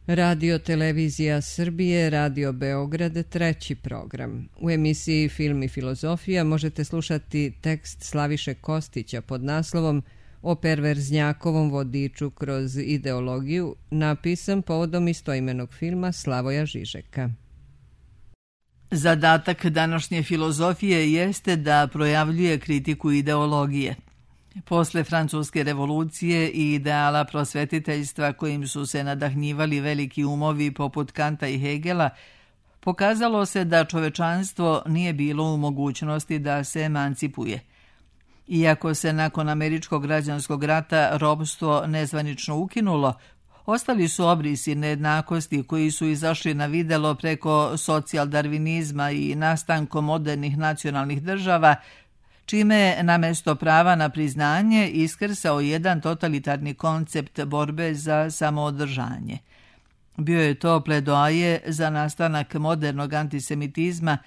Radio Televizija Srbije, Radio Beograd, treći program. U emisiji Film i filozofija možete slušati tekst Slaviše Kostića pod naslovom O perverznjakovom vodiču kroz ideologiju, napisan povodom istoimenog filma Slavoja Žižeka. Zadatak današnje filozofije jeste da projavljuje kritiku ideologije. Posle Francuske revolucije i ideala prosvetiteljstva kojim su se nadahnjivali veliki umovi poput Kanta i Hegela, pokazalo se da čovečanstvo nije bilo u mogućnosti da se emancipuje. Iako se nakon Američkog građanskog rata ropstvo nezvanično ukinulo, ostali su obrisi nejednakosti koji su izašli na videlo preko socijaldarvinizma i nastankom modernih nacionalnih država, čime je namesto prava na priznanje iskrsao jedan totalitarni koncept borbe za samoodržanje. Bio je to pledoaje za nastanak modernog antisemitizma,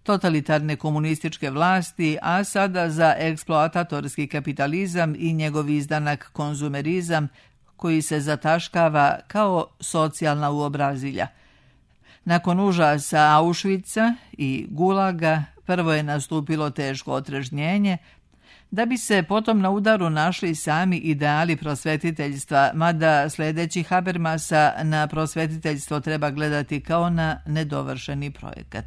totalitarne komunističke vlasti, a sada za eksploatatorski kapitalizam i njegov izdanak konzumerizam koji se zataškava kao socijalna uobrazilja. Nakon užasa Auschwitza i Gulaga prvo je nastupilo teško otrežnjenje, da bi se potom na udaru našli sami ideali prosvetiteljstva, mada sledeći Habermasa na prosvetiteljstvo treba gledati kao na nedovršeni projekat.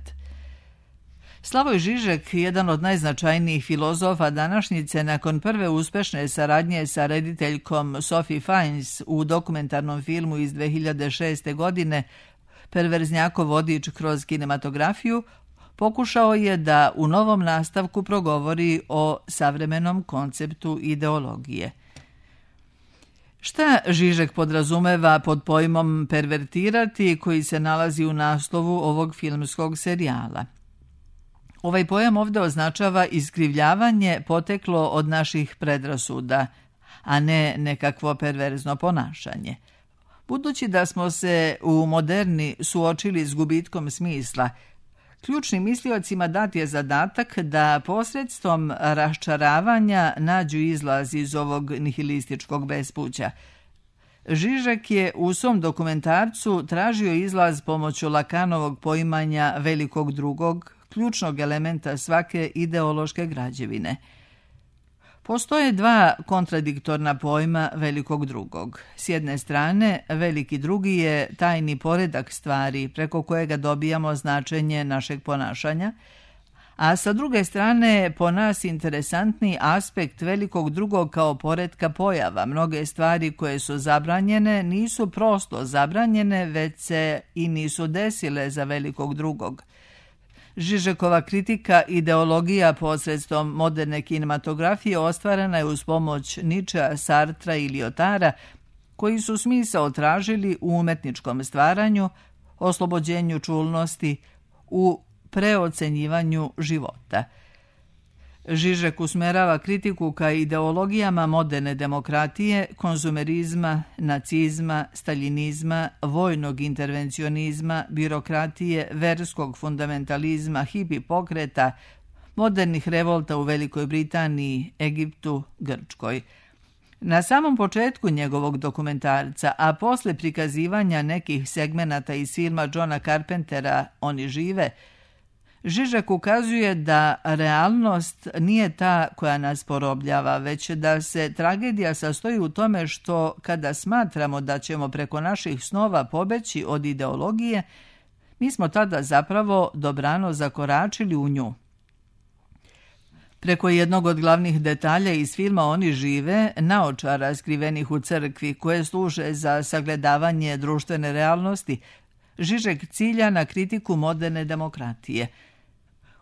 Slavoj Žižek, jedan od najznačajnijih filozofa današnjice, nakon prve uspešne saradnje sa rediteljkom Sophie Fiennes u dokumentarnom filmu iz 2006. godine Perverznjakov vodič kroz kinematografiju, pokušao je da u novom nastavku progovori o savremenom konceptu ideologije. Šta Žižek podrazumeva pod pojmom pervertirati koji se nalazi u naslovu ovog filmskog serijala? Ovaj pojam ovdje označava iskrivljavanje poteklo od naših predrasuda, a ne nekakvo perverzno ponašanje. Budući da smo se u moderni suočili s gubitkom smisla, ključnim misliocima dat je zadatak da posredstvom raščaravanja nađu izlaz iz ovog nihilističkog bespuća. Žižek je u svom dokumentarcu tražio izlaz pomoću Lakanovog poimanja velikog drugog, ključnog elementa svake ideološke građevine. Postoje dva kontradiktorna pojma velikog drugog. S jedne strane, veliki drugi je tajni poredak stvari preko kojega dobijamo značenje našeg ponašanja, a sa druge strane po nas interesantni aspekt velikog drugog kao poretka pojava. Mnoge stvari koje su zabranjene nisu prosto zabranjene, već se i nisu desile za velikog drugog. Žižekova kritika ideologija posredstvom moderne kinematografije ostvarena je uz pomoć Ničea, Sartra i Liotara, koji su smisao tražili u umetničkom stvaranju, oslobođenju čulnosti, u preocenjivanju života. Žižek usmerava kritiku ka ideologijama moderne demokratije, konzumerizma, nacizma, staljinizma, vojnog intervencionizma, birokratije, verskog fundamentalizma, hipi pokreta, modernih revolta u Velikoj Britaniji, Egiptu, Grčkoj. Na samom početku njegovog dokumentarca, a posle prikazivanja nekih segmenata iz filma Johna Carpentera Oni žive, Žižek ukazuje da realnost nije ta koja nas porobljava, već da se tragedija sastoji u tome što kada smatramo da ćemo preko naših snova pobeći od ideologije, mi smo tada zapravo dobrano zakoračili u nju. Preko jednog od glavnih detalja iz filma Oni žive, naočara skrivenih u crkvi koje služe za sagledavanje društvene realnosti, Žižek cilja na kritiku moderne demokratije.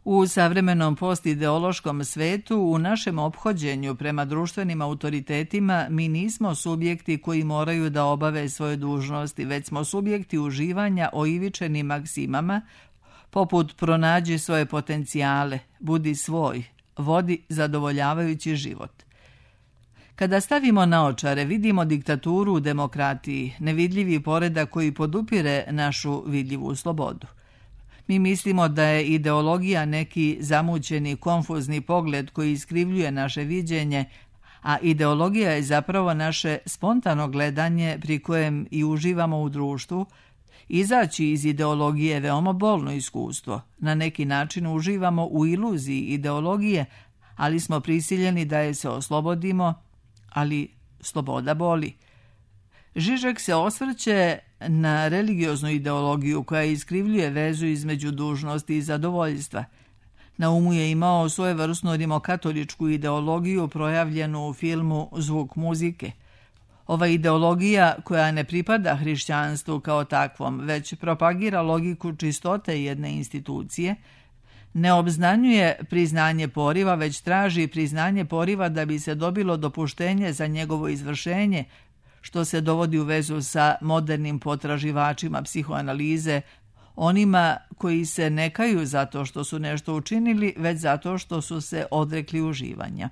U savremenom postideološkom svetu, u našem ophođenju prema društvenim autoritetima, mi nismo subjekti koji moraju da obave svoje dužnosti, već smo subjekti uživanja oivičenim maksimama, poput pronađi svoje potencijale, budi svoj, vodi zadovoljavajući život. Kada stavimo naočare, vidimo diktaturu u demokratiji, nevidljivi poredak koji podupire našu vidljivu slobodu. Mi mislimo da je ideologija neki zamućeni, konfuzni pogled koji iskrivljuje naše viđenje, a ideologija je zapravo naše spontano gledanje pri kojem i uživamo u društvu. Izaći iz ideologije je veoma bolno iskustvo. Na neki način uživamo u iluziji ideologije, ali smo prisiljeni da je se oslobodimo, ali sloboda boli. Žižek se osvrće na religioznu ideologiju koja iskrivljuje vezu između dužnosti i zadovoljstva. Na umu je imao svojevrsnu rimokatoličku ideologiju projavljenu u filmu Zvuk muzike. Ova ideologija, koja ne pripada hrišćanstvu kao takvom, već propagira logiku čistote jedne institucije, ne obznanjuje priznanje poriva, već traži priznanje poriva da bi se dobilo dopuštenje za njegovo izvršenje, što se dovodi u vezu sa modernim potraživačima psihoanalize, onima koji se ne kaju zato što su nešto učinili, već zato što su se odrekli uživanja.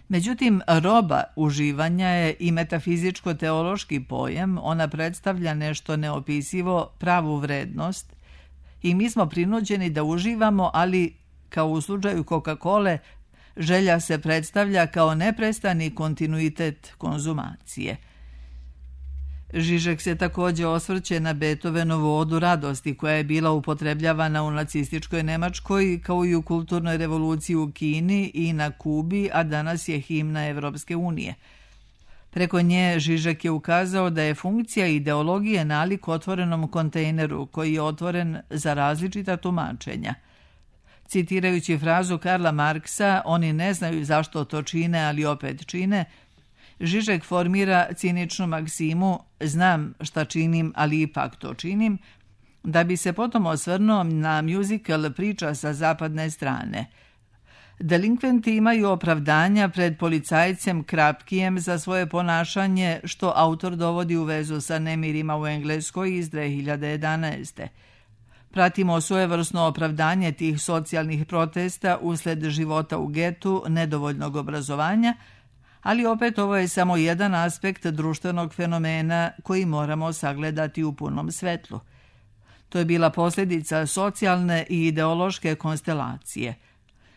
Međutim, roba uživanja je i metafizičko-teološki pojam, ona predstavlja nešto neopisivo, pravu vrednost, i mi smo prinuđeni da uživamo, ali, kao u slučaju Coca-Cole, želja se predstavlja kao neprestani kontinuitet konzumacije. Žižek se također osvrće na Beethovenovu odu radosti koja je bila upotrebljavana u nacističkoj Nemačkoj kao i u kulturnoj revoluciji u Kini i na Kubi, a danas je himna Evropske unije. Preko nje Žižek je ukazao da je funkcija ideologije nalik otvorenom kontejneru koji je otvoren za različita tumačenja. Citirajući frazu Karla Marksa, oni ne znaju zašto to čine, ali opet čine, Žižek formira ciničnu maksimu znam šta činim, ali ipak to činim, da bi se potom osvrnuo na musical priča sa zapadne strane. Delinkventi imaju opravdanja pred policajcem Krapkijem za svoje ponašanje, što autor dovodi u vezu sa nemirima u Engleskoj iz 2011. Pratimo svojevrsno opravdanje tih socijalnih protesta usled života u getu, nedovoljnog obrazovanja, ali opet ovo je samo jedan aspekt društvenog fenomena koji moramo sagledati u punom svetlu. To je bila posljedica socijalne i ideološke konstelacije.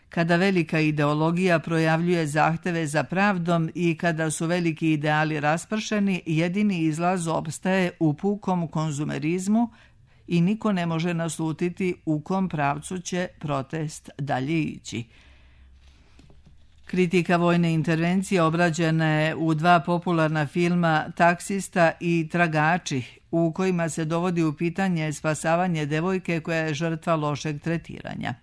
Kada velika ideologija projavljuje zahteve za pravdom i kada su veliki ideali raspršeni, jedini izlaz opstaje u pukom konzumerizmu i niko ne može naslutiti u kom pravcu će protest dalje ići. Kritika vojne intervencije obrađena je u 2 popularna filma Taksista i Tragači, u kojima se dovodi u pitanje spasavanje devojke koja je žrtva lošeg tretiranja.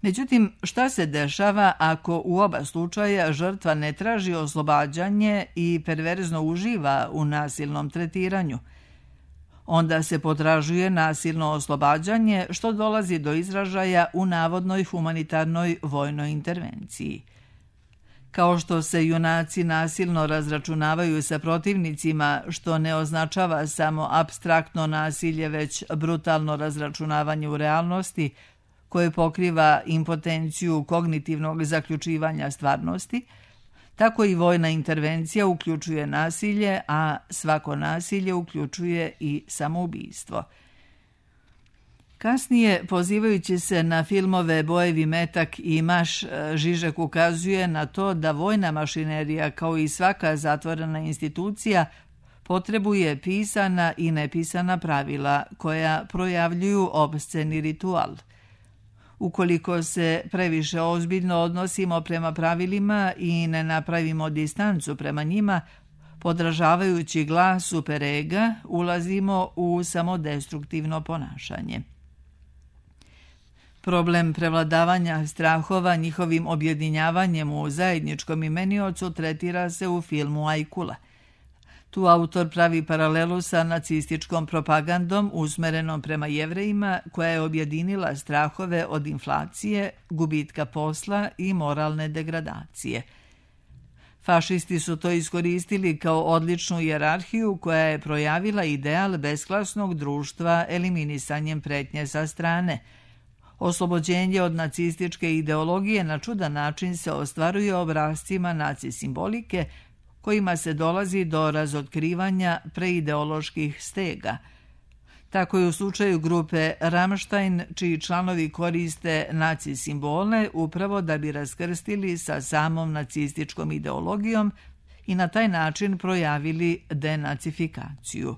Međutim, šta se dešava ako u oba slučaja žrtva ne traži oslobađanje i perverzno uživa u nasilnom tretiranju? Onda se potražuje nasilno oslobađanje, što dolazi do izražaja u navodnoj humanitarnoj vojnoj intervenciji. Kao što se junaci nasilno razračunavaju sa protivnicima, što ne označava samo apstraktno nasilje, već brutalno razračunavanje u realnosti, koje pokriva impotenciju kognitivnog zaključivanja stvarnosti, tako i vojna intervencija uključuje nasilje, a svako nasilje uključuje i samoubistvo. Kasnije, pozivajući se na filmove Bojevi metak i Maš, Žižek ukazuje na to da vojna mašinerija, kao i svaka zatvorena institucija, potrebuje pisana i nepisana pravila koja projavljuju obsceni ritual. Ukoliko se previše ozbiljno odnosimo prema pravilima i ne napravimo distancu prema njima, podražavajući glas superega, ulazimo u samodestruktivno ponašanje. Problem prevladavanja strahova njihovim objedinjavanjem u zajedničkom imeniocu tretira se u filmu Ajkula. Tu autor pravi paralelu sa nacističkom propagandom usmerenom prema Jevrejima, koja je objedinila strahove od inflacije, gubitka posla i moralne degradacije. Fašisti su to iskoristili kao odličnu hijerarhiju koja je projavila ideal besklasnog društva eliminisanjem pretnje sa strane. Oslobođenje od nacističke ideologije na čudan način se ostvaruje obrascima naci simbolike, kojima se dolazi do razotkrivanja preideoloških stega. Tako je u slučaju grupe Rammstein, čiji članovi koriste naci simbole upravo da bi raskrstili sa samom nacističkom ideologijom i na taj način projavili denacifikaciju.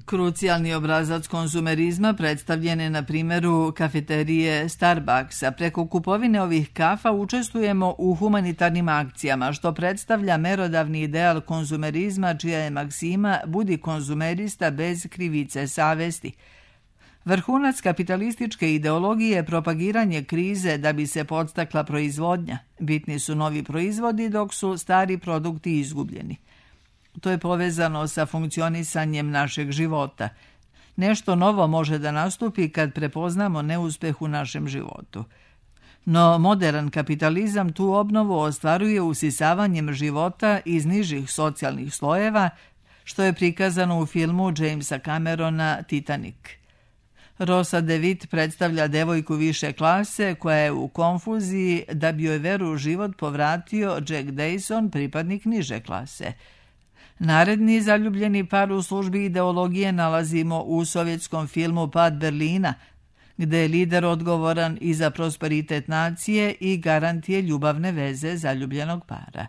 Krucijalni obrazac konzumerizma predstavljen je na primjeru kafeterije Starbucksa. Preko kupovine ovih kafa učestvujemo u humanitarnim akcijama, što predstavlja merodavni ideal konzumerizma, čija je maksima budi konzumerista bez krivice savesti. Vrhunac kapitalističke ideologije je propagiranje krize da bi se podstakla proizvodnja. Bitni su novi proizvodi dok su stari produkti izgubljeni. To je povezano sa funkcionisanjem našeg života. Nešto novo može da nastupi kad prepoznamo neuspeh u našem životu. No modern kapitalizam tu obnovu ostvaruje usisavanjem života iz nižih socijalnih slojeva, što je prikazano u filmu Jamesa Camerona Titanic. Rosa DeWitt predstavlja devojku više klase koja je u konfuziji da bi joj veru u život povratio Jack Dyson, pripadnik niže klase. Naredni zaljubljeni par u službi ideologije nalazimo u sovjetskom filmu Pad Berlina, gde je lider odgovoran i za prosperitet nacije i garantije ljubavne veze zaljubljenog para.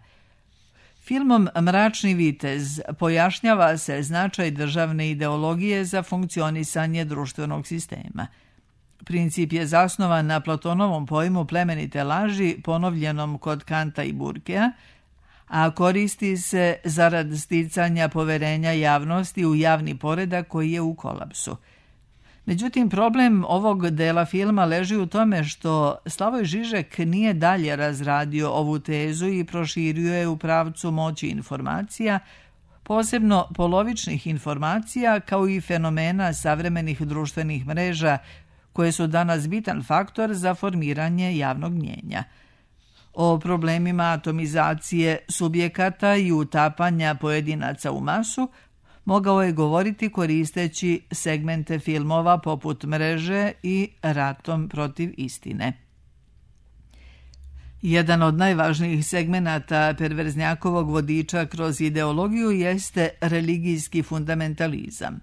Filmom Mračni vitez pojašnjava se značaj državne ideologije za funkcionisanje društvenog sistema. Princip je zasnovan na Platonovom pojmu plemenite laži, ponovljenom kod Kanta i Burkea, a koristi se zarad sticanja poverenja javnosti u javni poredak koji je u kolapsu. Međutim, problem ovog dela filma leži u tome što Slavoj Žižek nije dalje razradio ovu tezu i proširio je u pravcu moći informacija, posebno polovičnih informacija, kao i fenomena savremenih društvenih mreža, koje su danas bitan faktor za formiranje javnog mnjenja. O problemima atomizacije subjekata i utapanja pojedinaca u masu mogao je govoriti koristeći segmente filmova poput Mreže i Ratom protiv istine. Jedan od najvažnijih segmenata perverznjakovog vodiča kroz ideologiju jeste religijski fundamentalizam.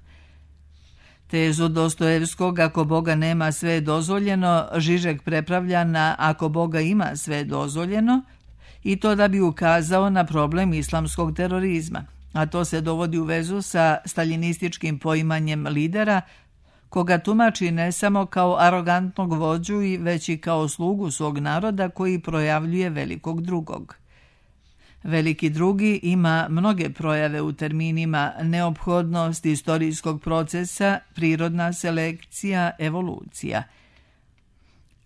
Tezu Dostojevskog ako Boga nema sve je dozvoljeno, Žižek prepravlja na ako Boga ima sve je dozvoljeno, i to da bi ukazao na problem islamskog terorizma, a to se dovodi u vezu sa staljinističkim poimanjem lidera, koga tumači ne samo kao arogantnog vođu, već i kao slugu svog naroda koji projavljuje velikog drugog. Veliki drugi ima mnoge projave u terminima neophodnost istorijskog procesa, prirodna selekcija, evolucija.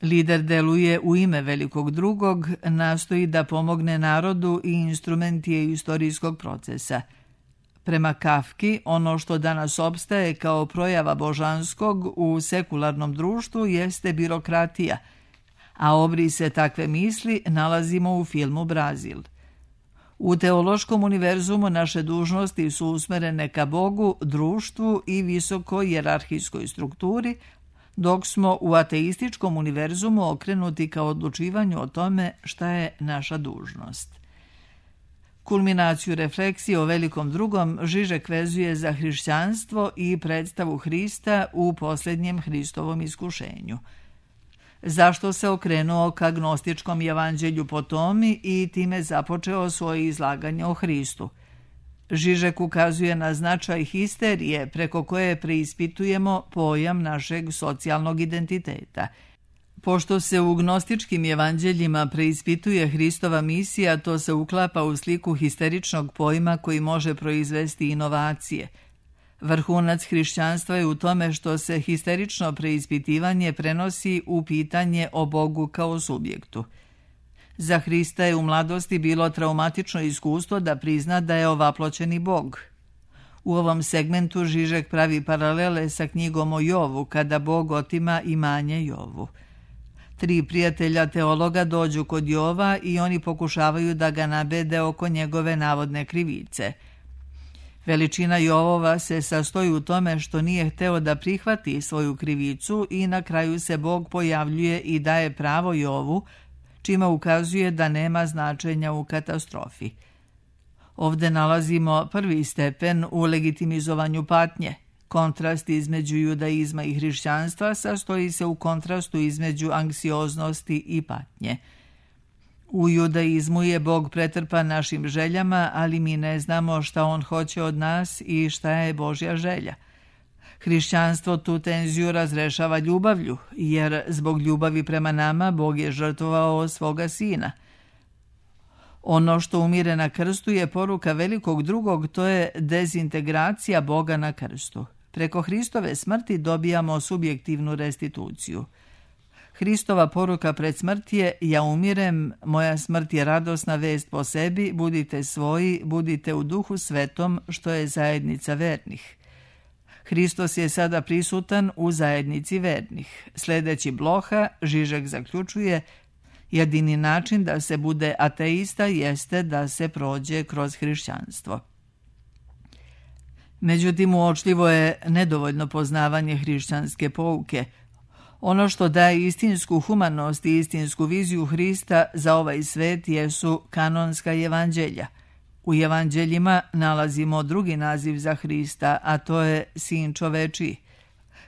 Lider deluje u ime velikog drugog, nastoji da pomogne narodu i instrument je istorijskog procesa. Prema Kafki, ono što danas opstaje kao projava božanskog u sekularnom društvu jeste birokratija, a obrise takve misli nalazimo u filmu Brazil. U teološkom univerzumu naše dužnosti su usmerene ka Bogu, društvu i visoko jerarhijskoj strukturi, dok smo u ateističkom univerzumu okrenuti ka odlučivanju o tome šta je naša dužnost. Kulminaciju refleksije o velikom drugom Žižek vezuje za hrišćanstvo i predstavu Hrista u posljednjem Hristovom iskušenju. Zašto se okrenuo ka gnostičkom evanđelju po Tomi i time započeo svoje izlaganje o Hristu? Žižek ukazuje na značaj histerije preko koje preispitujemo pojam našeg socijalnog identiteta. Pošto se u gnostičkim evanđeljima preispituje Hristova misija, to se uklapa u sliku histeričnog pojma koji može proizvesti inovacije. Vrhunac hrišćanstva je u tome što se histerično preispitivanje prenosi u pitanje o Bogu kao subjektu. Za Hrista je u mladosti bilo traumatično iskustvo da prizna da je ovaploćeni Bog. U ovom segmentu Žižek pravi paralele sa knjigom o Jovu, kada Bog otima imanje Jovu. 3 prijatelja teologa dođu kod Jova i oni pokušavaju da ga nabede oko njegove navodne krivice. Veličina Jovova se sastoji u tome što nije hteo da prihvati svoju krivicu i na kraju se Bog pojavljuje i daje pravo Jovu, čime ukazuje da nema značenja u katastrofi. Ovde nalazimo prvi stepen u legitimizovanju patnje. Kontrast između judaizma i hrišćanstva sastoji se u kontrastu između anksioznosti i patnje. U judaizmu je Bog pretrpan našim željama, ali mi ne znamo šta on hoće od nas i šta je Božja želja. Hrišćanstvo tu tenziju razrešava ljubavlju, jer zbog ljubavi prema nama Bog je žrtvovao svoga sina. Ono što umire na krstu je poruka velikog drugog, to je dezintegracija Boga na krstu. Preko Hristove smrti dobijamo subjektivnu restituciju. Hristova poruka pred smrt je: ja umirem, moja smrt je radosna vest po sebi, budite svoji, budite u Duhu Svetom, što je zajednica vernih. Hristos je sada prisutan u zajednici vernih. Sljedeći Bloha, Žižek zaključuje: jedini način da se bude ateista jeste da se prođe kroz hrišćanstvo. Međutim, uočljivo je nedovoljno poznavanje hrišćanske pouke. Ono što daje istinsku humanost i istinsku viziju Hrista za ovaj svet jesu kanonska evanđelja. U evanđeljima nalazimo drugi naziv za Hrista, a to je Sin čovečiji.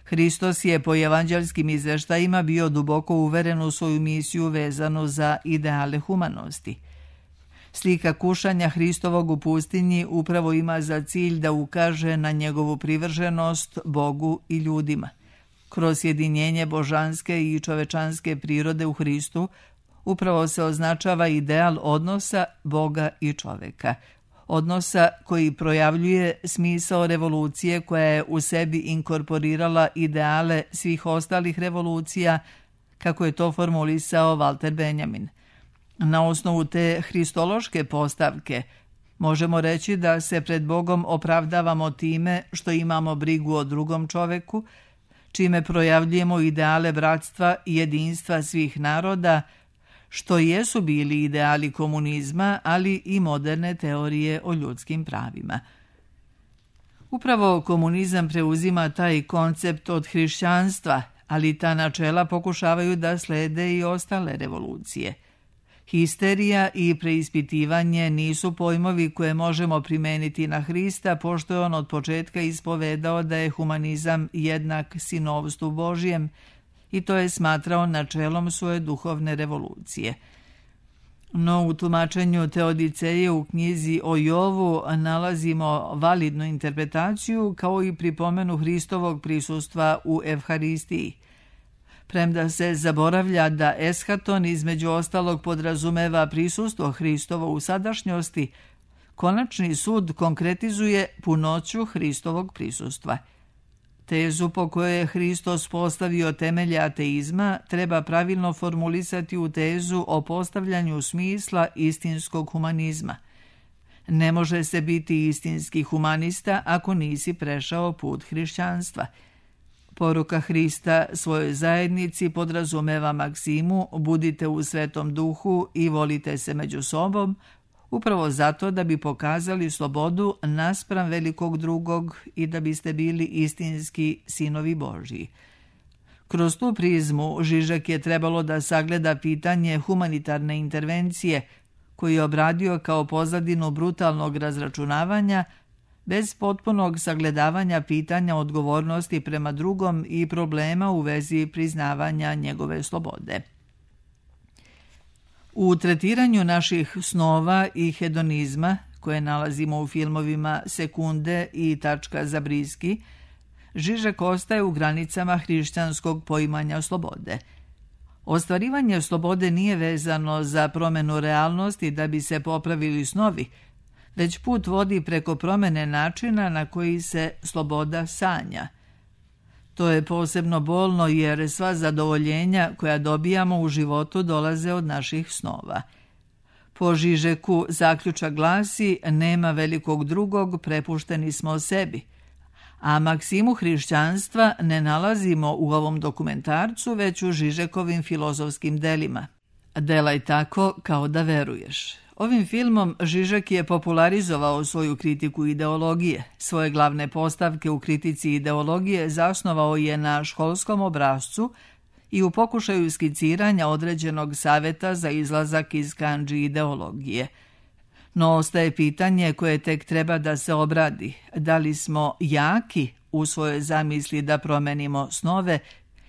Hristos je po evanđelskim izveštajima bio duboko uveren u svoju misiju vezanu za ideale humanosti. Slika kušanja Hristovog u pustinji upravo ima za cilj da ukaže na njegovu privrženost Bogu i ljudima. Kroz sjedinjenje božanske i čovečanske prirode u Hristu upravo se označava ideal odnosa Boga i čoveka. Odnosa koji projavljuje smisao revolucije koja je u sebi inkorporirala ideale svih ostalih revolucija, kako je to formulisao Walter Benjamin. Na osnovu te hristološke postavke možemo reći da se pred Bogom opravdavamo time što imamo brigu o drugom čoveku, čime projavljujemo ideale bratstva i jedinstva svih naroda, što jesu bili ideali komunizma, ali i moderne teorije o ljudskim pravima. Upravo komunizam preuzima taj koncept od hrišćanstva, ali ta načela pokušavaju da slede i ostale revolucije. Histerija i preispitivanje nisu pojmovi koje možemo primeniti na Hrista, pošto je on od početka ispovedao da je humanizam jednak sinovstvu Božjem, i to je smatrao načelom svoje duhovne revolucije. No u tumačenju Teodiceje u knjizi o Jovu nalazimo validnu interpretaciju kao i pripomenu Hristovog prisustva u Evharistiji. Premda se zaboravlja da eschaton između ostalog podrazumeva prisustvo Hristovo u sadašnjosti, konačni sud konkretizuje punoću Hristovog prisustva. Tezu po kojoj je Hristos postavio temelje ateizma treba pravilno formulisati u tezu o postavljanju smisla istinskog humanizma. Ne može se biti istinski humanista ako nisi prešao put hrišćanstva. Poruka Hrista svojoj zajednici podrazumeva maksimu: budite u Svetom Duhu i volite se među sobom, upravo zato da bi pokazali slobodu naspram velikog drugog i da biste bili istinski sinovi Božji. Kroz tu prizmu Žižek je trebalo da sagleda pitanje humanitarne intervencije, koji je obradio kao pozadinu brutalnog razračunavanja, bez potpunog sagledavanja pitanja odgovornosti prema drugom i problema u vezi priznavanja njegove slobode. U tretiranju naših snova i hedonizma, koje nalazimo u filmovima Sekunde i Tačka za Briski, Žižek ostaje u granicama hrišćanskog poimanja slobode. Ostvarivanje slobode nije vezano za promjenu realnosti da bi se popravili snovi, već put vodi preko promjene načina na koji se sloboda sanja. To je posebno bolno jer sva zadovoljenja koja dobijamo u životu dolaze od naših snova. Po Žižeku zaključak glasi: nema velikog drugog, prepušteni smo sebi. A maksimu hrišćanstva ne nalazimo u ovom dokumentarcu, već u Žižekovim filozofskim delima. Delaj tako kao da veruješ. Ovim filmom Žižek je popularizovao svoju kritiku ideologije. Svoje glavne postavke u kritici ideologije zasnovao je na školskom obrascu i u pokušaju skiciranja određenog saveta za izlazak iz kandži ideologije. No ostaje pitanje koje tek treba da se obradi: da li smo jaki u svojoj zamisli da promenimo snove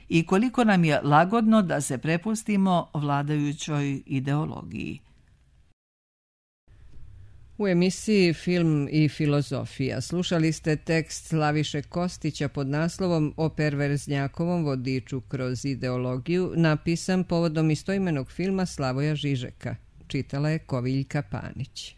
i koliko nam je lagodno da se prepustimo vladajućoj ideologiji. U emisiji Film i filozofija slušali ste tekst Slaviše Kostića pod naslovom O perverznjakovom vodiču kroz ideologiju, napisan povodom istoimenog filma Slavoja Žižeka. Čitala je Koviljka Panić.